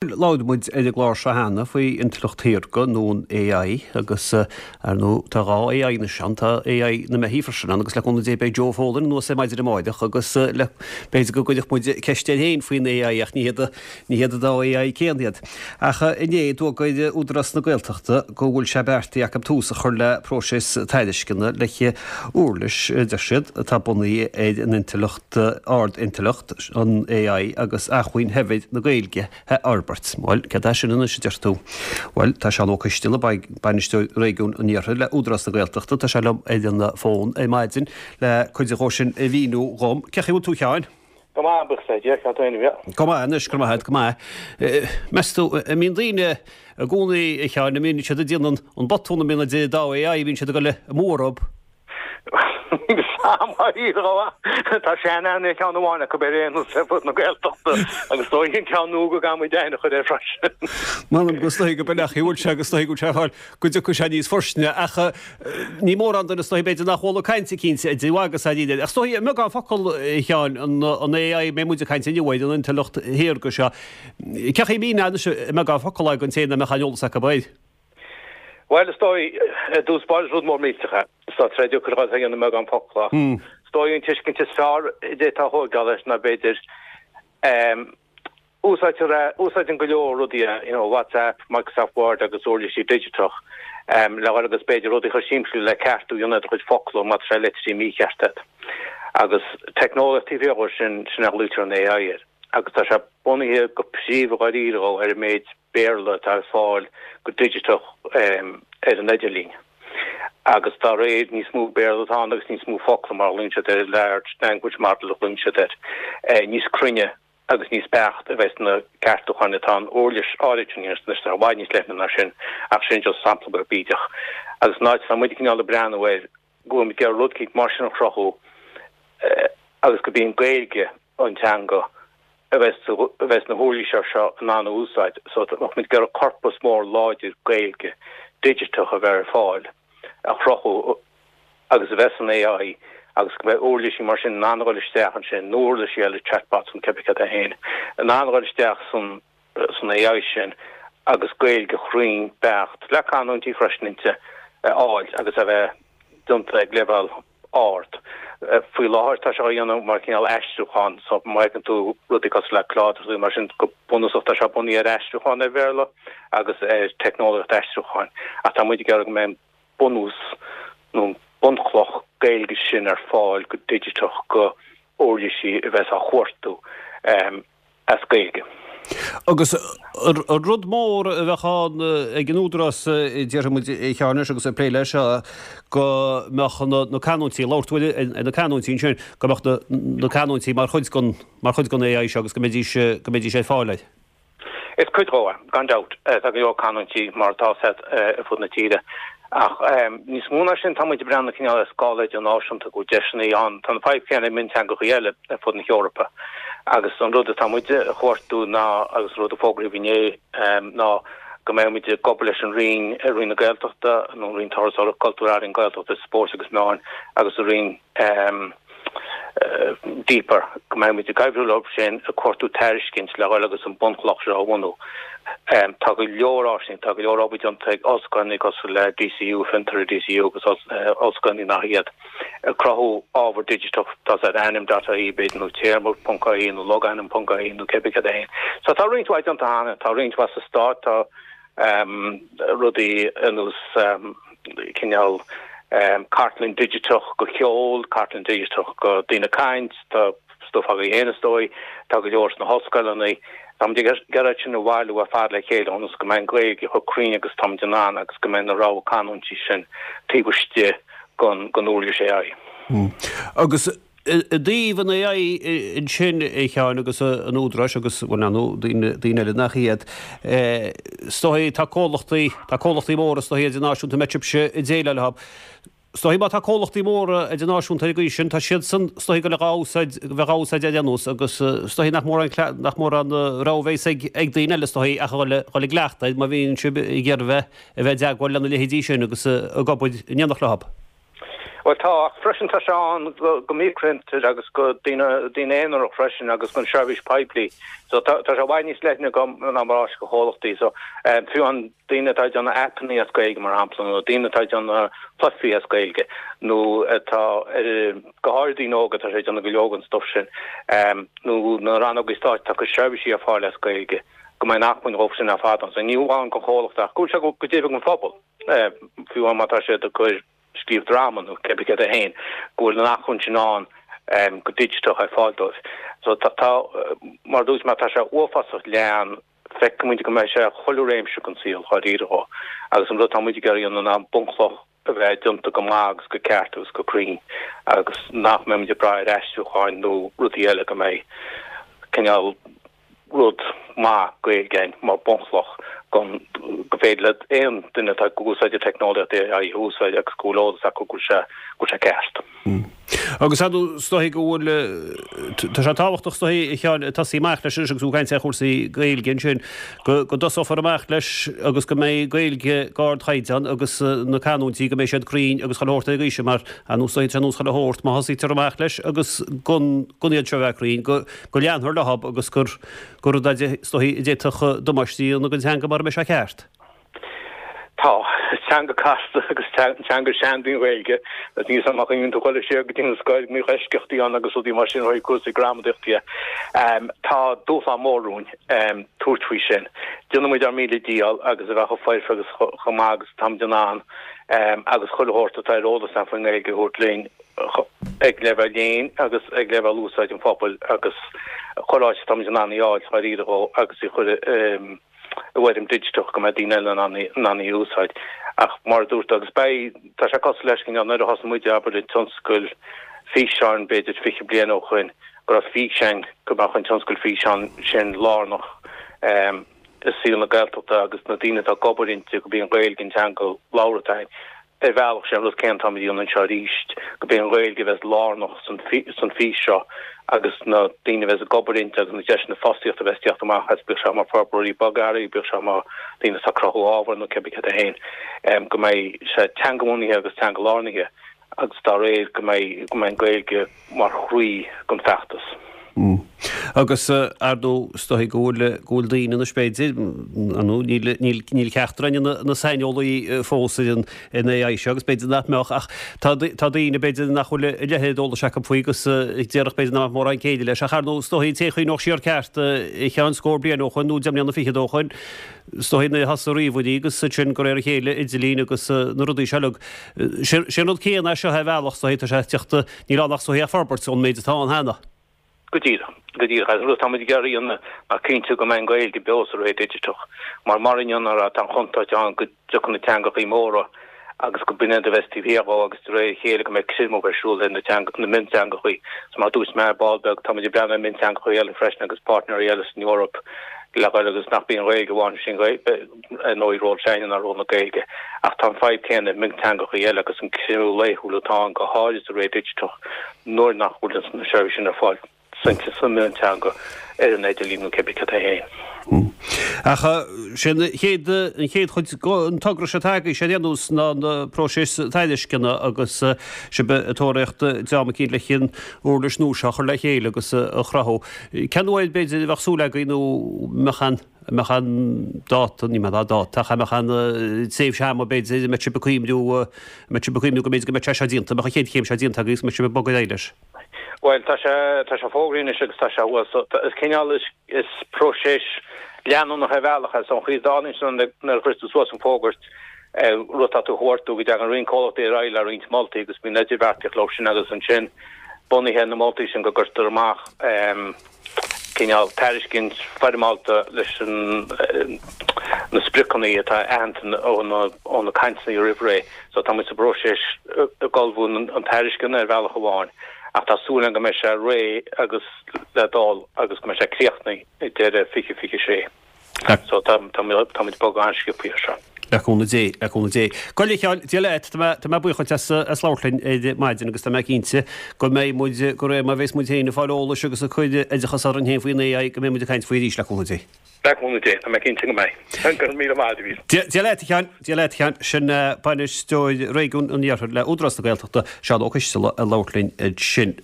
Labhair muid ar an gclár seo cheana faoi intleacht shaorga nó an AI agus, ar ndóigh, tá 2 AI anois ann, tá AI na mbeithígh freisin ann agus le cúnamh Dé beidh Joe Folan anuas ar maidin amáireach agus le, b'fhéidir go gcuirfeadh muid ceist air féin faoin AI ach ní hiad, ní hiad an dá AI céanna iad. Ach inné d'fhógair Údarás na Gaeltachta go bhfuil sé beartaithe acu tús a chur le próiseas tairisceana le huirlis, a deir siad, atá bunaithe ar an intleacht, ard-intleacht, an AI agus acmhainn shaibhir na Gaeilge. a fhorbairt. Bhuel, céard é sin anois, a deir tú? Bhuel, tá Seán Ó Coisteala, Bainisteoir Réigiún an Iarthair le Údarás na Gaeltachta, tá sé liom ar an bhfón ar maidin le cuid dhó sin a mhíniú dhom. Cén chaoi a bhfuil tú, a Sheáin? Go maith, buíochas le Dia, cad é fúibh? Go maith anois, go raibh maith agat, go maith. Meas tú, an mbíonn daoine i gcónaí, a Sheáin, an mbíonn siad ag déanamh an botún, an mbíonn an dá AI, bíonn siad ag dul amú orthu? Tá sean-aithne ar cheann amháin acu ar aon nós ar fud na Gaeltachta agus is dóigh an ceann nua go gcaithfidh muid aithne a chur air freisin. M'anam go is dóigh go b'in é an chaoi a bhfuil sé agus is dóigh go bhfuil sé ag fáil go dtiocfaidh sé níos foirstine ach ní mórán duine is dóigh b'fhéidir nach bhfuil ag caint cinnte idir mhaith agus ar Ach is dóigh i mbeagán focal a Sheáin an AI a mbeidh muid ag caint inniu air an intleacht shaorga seo. Cén chaoi a mhíneofá anois i mbeagán focal é don té nach mbeadh aon eolas acu air? Bhuel, is dóigh, i dtús báire is rud mór millteach é. Tá sé deacair a dhéanamh i mbeagán focal ach is dóigh an tuiscint is fearr a d'fhéadfá a thóigeáil leis ná b'fhéidir úsáidtear é, úsáideann go leor rudaí é, you know, WhatsApp, Microsoft Word agus uirlisí digiteach le dhul agus b'fhéidir rudaí chomh simplí le ceartú a dhéanamh ar do chuid focla má tá sé litrithe mícheart agat. Agus teicneolaíocht taobh thiar dhó sin, sin a ghlaoitear an AI air. Agus tá sé bunaithe go príomha dháiríre ar an méid Béarla atá ar fáil go digiteach ar an idirlíon. Agus dá réir, níos mó Béarla atá ann agus níos mó focla mar a ghlaonn siad air, large language model a ghlaonn siad air, níos cruinne agus níos beacht a bheas na ceartúcháin atá an uirlis áirid sin a dhéanamh. Anois tá i bhfad níos leithne ná sin ach sin just sampla beag bídeach. Agus an áit atá muid cineál ag breathnú air go bhfuil muid ag iarraidh rud eicínt mar sin a chruthú agus go b'í an Ghaeilge an teanga a bheas a bheas na huirlisí seo in ann a úsáid. So bheadh muid ag iarraidh corpas mór láidir Gaeilge digiteach a bheith ar fáil a chruthú agus a bheith san AI agus go mbeidh uirlisí mar sin in ann a dhul isteach ansin nó uirlisí eile chatbots nó cibé cad é féin in ann a dhul isteach san san AI sin agus Gaeilge chruinn beacht le canúintí freisin inti a fháil agus a bheith déanta ag leibhéal ard. Faoi láthair tá sé á dhéanamh mar chineál aistriúchán so má fheiceann tú rudaí cosúil le Claude agus rudaí mar sin go bunúsach tá sé bunaithe ar aistriúchán ar Bhéarla agus ar teicneolaíocht aistriúcháin ach tá muid ag iarraidh go mbeidh an bunús nó an bunchloch Gaeilge sin ar fáil go digiteach go uirlisí a bheas á chuartú as Gaeilge. Agus an rud mór a bheadh ann ag an Údarás, déarfaidh muid, a Sheáin, anois agus ag plé leis seo, go mbeadh na canúintí, labhair tú ar na canúintí ansin, go mbeadh na canúintí mar chuid den, mar chuid den AI seo agus go mbeidís, go mbeidís ar fáil air. Is cuid dhó é, gan dabht. Tá go leor canúintí mar atá ar fud na tíre. Ach níos mó ná sin, tá muid ag breathnú cineál ar scála idirnáisiúnta, go bhfuil deiseanna ann. Tá an fadhb chéanna ag mionteangacha eile ar fud na hEorpa. Agus an rud atá muid a chuartú ná, agus an rud a fógraíodh inné, ná go mbeidh muid ag obair leis an Roinn, Roinn na Gaeltachta, nó an Roinn Turasóireachta, Cultúir, Ealaíon, Gaeltachta, Spóirt agus Meáin agus an Roinn, Deeper, go mbeidh muid ag oibriú leo sin ag cuartú tairiscint le dhul agus an bunchloch seo a bhunú. Tá go leor áiseanna, tá go leor obair déanta ag ollscoileanna cosúil le DCU, Fiontar i DCU agus ollscoileanna nach iad, ag cruthú ábhar digiteach, tá sé ar ainm dot ie b'fhéidir nó téarma ponc ie nó logainm ponc ie nó cibé cad é féin. So tá roinnt mhaith déanta cheana, tá roinnt mhaith sa Stát, tá rudaí ar nós cineál cartlann digiteach go cheol, cartlann digiteach go daoine ag caint, tá stuif agaibh féin is dóigh, tá go leor sna hollscoileanna. Táimid ag iarraidh sin a bhailiú ar fad le chéile ionas go mbeidh an Ghaeilge chomh cruinn agus táimid in ann agus go mbeidh na rogha canúintí sin taobh istigh den uirlis AI. Agus I dtaobh an AI ansin, a Sheáin, agus an Údaráis agus, bhuel, ar ndóigh, daoine, daoine eile nach iad, is dóigh, tá comhlachtaí, tá comhlachtaí móra, is dóigh, idirnáisiúnta a mbeidh sibhse ag déileáil leo. Is dóigh, má tá comhlachtaí móra idirnáisiúnta ar an gcaoi sin, tá siadsan, is dóigh, go le dhá úsáid, bheith dhá úsáid ar aon nós agus is dóigh nach mórán, nach mórán rogha a bheas ag, ag daoine eile, is dóigh, ach a dhul, dhul i gcleachtadh air má bhíonn sibh ag iarraidh a bheith, a bheith i dteagmháil lena leithéidí sin agus ag obair in éineacht leo. Bhuel tá, ach freisin tá sé ann go micrifhiontair agus go daoine daoine aonarach freisin agus don seirbhís poiblí. So tá tá sé i bhfad níos leithne go ná mar áis go chomhlachtaí. So fiú an daoine atá ag déanamh aipeanna as Gaeilge mar shampla nó daoine atá ag déanamh cluichí as Gaeilge nó atá ar go háirid daoine óga atá sé ag déanamh go leor den stuif sin nó na rannógaí stáit atá ag cur seirbhísí ar fáil as Gaeilge go mbeidh an acmhainn dhóibh sin ar fad ann. So ní amháin go chomhlacht ach go bhfuil sé go deimhin don phobal. Fiú má tá siad ag cur scríobh dráma nó cébí céard é féin, go bhfuil an acmhainn sin ann go digiteach ar fáil dóibh. So tá, tá, mar a dúirt mé, tá sé uafásach leathan, feicimid go mbeidh sé chuile réimse den saol dháiríre dhó agus an rud atá muid ag iarraidh a dhéanamh ná bunchloch a bheith déanta go maith agus go ceart agus go cruinn agus nach mbeidh muid ag brath ar aistriúcháin nó rudaí eile go mbeidh cineál rud maith Gaeilge ann mar bunchloch gon go féidir le aon duine atá ag úsáid an teicneolaíocht AI a úsáid agus go bhfuil eolas acu go bhfuil sé go bhfuil sé ceart. Agus ar ndóigh is dóigh go bhfuil tá sé tábhachtach is dóigh a Sheáin tosaí amach leis anois agus tú ag caint ar chúrsaí Gaeilge ansin go go dtosófar amach leis agus go mbeidh Gaeilge d'ardchaighdeán agus na canúintí go mbeidh siad cruinn agus chuile shórt ar an gcaoi sin mar ar ndóigh is dóigh tá sé ar nós chuile shórt má thosaítear amach leis agus gan gan iad seo a bheith cruinn go go leanfar leo agus gur gur rud é is dóichí a d'fhéadfadh damáiste a dhéanamh don teanga mura mbeidh sé ceart. Tá. Is teanga casta agus teanga seanda í an Ghaeilge. Agus níl 'fhios a'm má chuimhníonn tú dhul siar go dtí an scoil go mbíodh eisceachtaí ann agus rudaí mar sin ó thaobh cúrsaí gramadaíochta de. Tá dúshlán mór romhainn tabhairt faoi sin. Déanfaidh muid ár míle dícheall agus a bheith chomh foirfe agus chomh maith agus atáimid in ann agus chuile shórt atá ar eolas againn faoin nGaeilge a thabhairt linn. ag leibhéal léinn agus ag leibhéal úsáid an phobail agus chuile áit atáimid in ann í a fháil dháiríre dhó agus í chur i bhfoirm digiteach go mbeidh daoine eile in ann í a úsáid. Ach mar a dúirt tú, agus beidh, tá sé cosúil leis cineál nuair a thosaigh muid abair an tionscal físeáin b'fhéidir 20 bliain ó shoin, go raibh fís againn go mbeadh an tionscal físeáin sin lárnach i saol na Gaeltachta agus na daoine atá ag obair inti, go mb'í an Ghaeilge an teanga labhartha againn. Ar bhealach, sé an rud céanna atáimid a dhéanamh anseo arís, go b'é an Ghaeilge a bheas lárnach san fís seo agus na daoine a bheas ag obair inti agus na deiseanna fostaíochta a bheas ag teacht amach as, bíodh sé mar forbróirí bogearraí, bíodh sé mar daoine atá ag cruthú ábhair nó cébí céard é féin, go mbeidh sé teangabhunaithe agus teanga-lárnaithe agus dá réir go mbeidh go mbeidh an Ghaeilge mar chroí den feachtas. Agus, ar ndóigh, is dóigh go bhfuil, go bhfuil daoine anois b'fhéidir, ar ndóigh, níl, níl, níl ceachtar againn ina, ina saineolaí fós ar an, ar an AI seo agus b'fhéidir nach mbeadh ach tá, tá daoine b'fhéidir nach bhfuil a leithéid d'eolais acu faoi agus déarfadh b'fhéidir nach mbeadh mórán céille leis ach ar ndóigh, is dóigh an té a chuimhneodh siar ceart a Sheáin scór bliain ó shoin nó 10 mbliana fichead ó shoin, is dóigh nuair a thosaigh ríomhairí agus ansin de réir a chéile idirlíon agus na rudaí seo uilig. Sé an rud céanna é seo ar bhealach, is dóigh, tá sé ag teacht, níl ann ach is dóigh ach forbairt ón méid atá ann cheana. Go díreach, go díreach. Agus an rud atá muid ag iarraidh a dhéanamh ná cinntiú go mbeidh an Ghaeilge beo sa ré digiteach. Mar mar inniu nuair atá an chontúirt ann go dtiocfaidh na teangachaí móra agus go b'in iad a bheas taobh thiar dhó agus de réir a chéile go mbeidh creimeadh ar siúl ar na teanga, na mionteangachaí. So mar a dúirt mé ar ball beag, tá muid ag breathnú ar mionteangachaí eile freisin agus páirtnéirí eile san Eoraip le dhul agus nach b'í an Ghaeilge amháin, sin ar ndóigh ról s'againne ná ról na Gaeilge, ach tá an fadhb céanna i mionteangachaí eile agus an creimeadh laethúil atá ann, go háirid sa ré digiteach nuair nach bhfuil na seirbhísí sin ar fáil sa mhionteanga ar an idirlíon nó cébí cad é féin. Ach sé an chéad, an chéad chuid den togra seo atá agaibh, sé ar aon nós ná na próiseas tairisceana agus sibh ag tóraíocht dream eicínt leis an uirlis nua seo a chur le chéile agus a chruthú. Cén uair b'fhéidir a bheadh súil agaibh nó mbeadh an. An mbeadh aon dáta, ní mbeadh dáta, ach an mbeadh aon tréimhse ama b'fhéidir, an mbeadh sibh ag cuimhniú, an mbeadh sibh ag cuimhniú go mb'fhéidir go mbeadh sé seo déanta, an mbeadh an chéad chéim seo déanta agaibh agus an mbeadh sibh ag bogadh ar aghaidh leis? Bhuel, tá sé, tá sé fógraithe anois agus tá sé thuas. So, is cineál, is, is próiseas leanúnach ar bhealach é. So, an chaoi a dtarlaíonn sé nuair a chuireann tú suas an fógairt, rud atá tú a thabhairt go dtagann roinnt comhlachtaí ar aghaidh le roinnt moltaí agus bíonn idirbheartaíocht leo sin agus ansin bunaithe ar na moltaí sin go gcuirtear amach, cineál tairiscint foirmeálta leis na spriocanna atá aitheanta ó na cainteanna roimh ré. So tá muid sa bpróiseas ag ullmhú an tairisceana ar bhealach amháin ach tá súil agam go mbeidh sé réidh agus le dul agus go mbeidh sé críochnaithe ag deireadh 2026. So tá muid ag bogadh an-sciobtha air seo. Le cúnamh Dé, le cúnamh Dé. Gabh i leith, a Sheáin, Dia leat, tá mé, tá mé buíoch duit as, as labhairt linn ar maidin agus tá mé cinnte go mbeidh muid, de réir mar a bheas muid féin ag fáil eolais agus ag cur oideachas orainn féin faoin AI, go mbeidh muid ag caint faoi arís, le cúnamh Dé. Le cúnamh Dé, tá mé cinnte go mbeidh. Go raibh míle maith agat. Dia, Dia leat, a Sheáin, Dia leat, a Sheáin. Sin Bainisteoir Réigiún an Iarthair le Údarás na Gaeltachta, Seán Ó Coisteala, ag labhairt linn ansin.